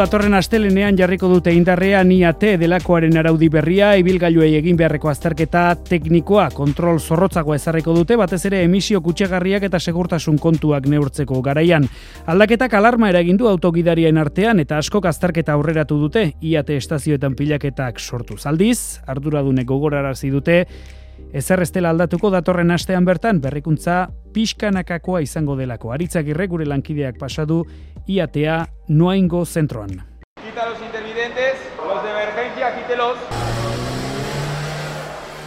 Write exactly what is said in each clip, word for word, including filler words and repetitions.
Datorren astelenean jarriko dute indarrean I A T delakoaren araudi berria, ibilgailuei egin beharreko azterketa teknikoa, kontrol zorrotzagoa ezarriko dute, batez ere emisio kutsagarriak eta segurtasun kontuak neurtzeko garaian. Aldaketak alarma eragin du autogidarien artean eta askok azterketa aurreratu dute, I A T estazioetan pilaketak sortuz. Aldiz, arduradunek gogorarazi dute, ezer ez dela aldatuko datorren astean bertan berrikuntza pixkanakakoa izango delako. Aritzagirre gure lankideak pasadu I A T A Noaingo zentroan. Quita los intervidentes, los de emergencia, quítelos.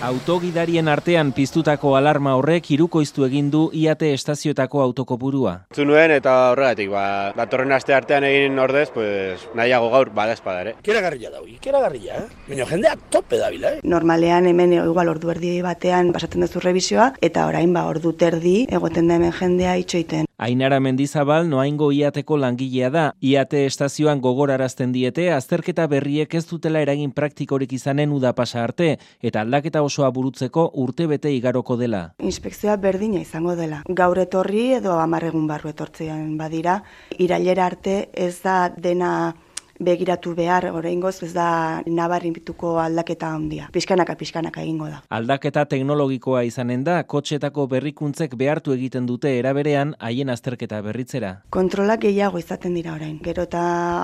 Autogidarien artean piztutako alarma horrek hirukoiztu egin du I A T estazioetako autokopurua. Zu nuen eta horregatik, ba, datorren aste artean egin ordez, pues, nahiago gaur bada espada ere. Ikeragarria da, ikeragarria, eh? Baina jendea tope dabila, eh? Normalean hemen igual ordu erdi batean pasatzen duzu revisioa, eta orain ba ordu terdi egoten da hemen jendea itxoiten. Ainara Mendizabal Noaingo I A Teko langilea da. I A T estazioan gogorarazten diete azterketa berriek ez dutela eragin praktikorik izanen uda pasa arte eta aldaketa osoa burutzeko urtebete igaroko dela. Inspekzioa berdina izango dela. Gaur etorri edo hamar egun barru etortzean badira, irailera arte ez da dena begiratu behar, oraingoz ez da nabarituko aldaketa handia. Pixkanaka, pixkanaka egingo da. Aldaketa teknologikoa izanen da, kotxetako berrikuntzek behartu egiten dute eraberean haien azterketa berritzera. Kontrolak gehiago izaten dira orain. Gero eta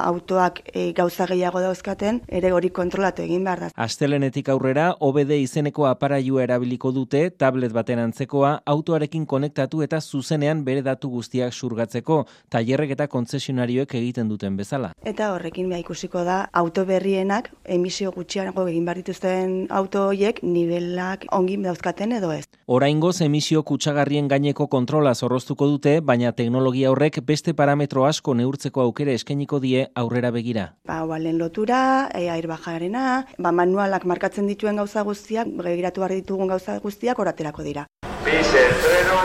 autoak e, gauza gehiago dauzkaten, ere hori kontrolatu egin behar da. Astelenetik aurrera, O B D izeneko aparailua erabiliko dute, tablet baten antzekoa, autoarekin konektatu eta zuzenean bere datu guztiak xurgatzeko, tailerrek eta kontzesionarioek egiten duten bezala. Eta horrekin beha ikusiko da, auto berrienak emisio gutxiago egin behar dituzten auto horiek nivelak ongi dauzkaten edo ez. Oraingoz emisio kutsagarrien gaineko kontrola zorroztuko dute, baina teknologia horrek beste parametro asko neurtzeko aukera eskainiko die aurrera begira. Ba, balen lotura, e, airbajarena, ba, manualak markatzen dituen gauza guztiak, begiratu behar ditugun gauza guztiak oraterako dira. Pise el freno.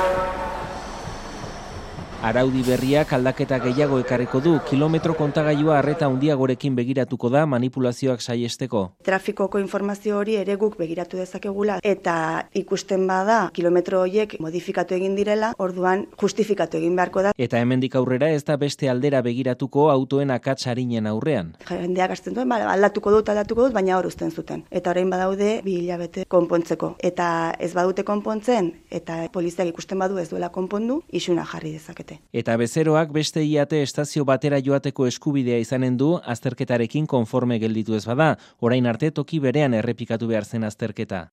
Araudi berriak aldaketa gehiago ekarriko du, kilometro kontagailua arreta handiagorekin begiratuko da manipulazioak saiesteko. Trafikoko informazio hori ere guk begiratu dezakegula eta ikusten bada kilometro horiek modifikatu egin direla, orduan justifikatu egin beharko da. Eta hemendik aurrera ez da beste aldera begiratuko autoen akats arinen aurrean. Jendeak hasten duen, bale, aldatuko dut, aldatuko dut, baina hor uzten zuten. Eta orain badaude bi hilabete konpontzeko. Eta ez badute konpontzen, eta poliziak ikusten badu ez duela konpondu, isuna jarri dezakete. Eta bezeroak beste I A T estazio batera joateko eskubidea izanen du azterketarekin konforme gelditu ez bada, orain arte toki berean errepikatu behar zen azterketa.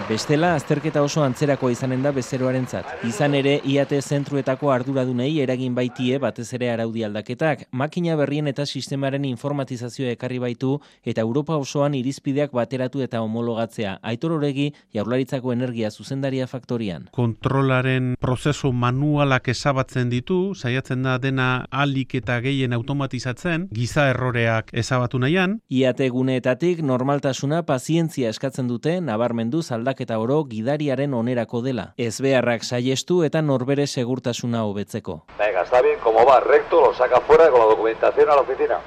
Bestela, azterketa oso antzerakoa izanen da bezeroarentzat. Izan ere, I A T zentruetako arduradunei eragin baitie batez ere araudi aldaketak, makina berrien eta sistemaren informatizazioa ekarri baitu eta Europa osoan irizpideak bateratu eta homologatzea. Aitor Oregi, Jaurlaritzako Energia zuzendaria faktorian. Kontrolaren prozesu manualak ezabatzen ditu, saiatzen da dena ahalik eta gehien automatizatzen, giza erroreak ezabatu nahian. I A T guneetatik normaltasuna pazientzia eskatzen dute, nabarmenduz aldaketa eta oro gidariaren onerako dela. Ezbeharrak saiestu eta norbere segurtasuna hobetzeko. Venga, está bien, como va recto, lo saca fuera con la documentación a la oficina.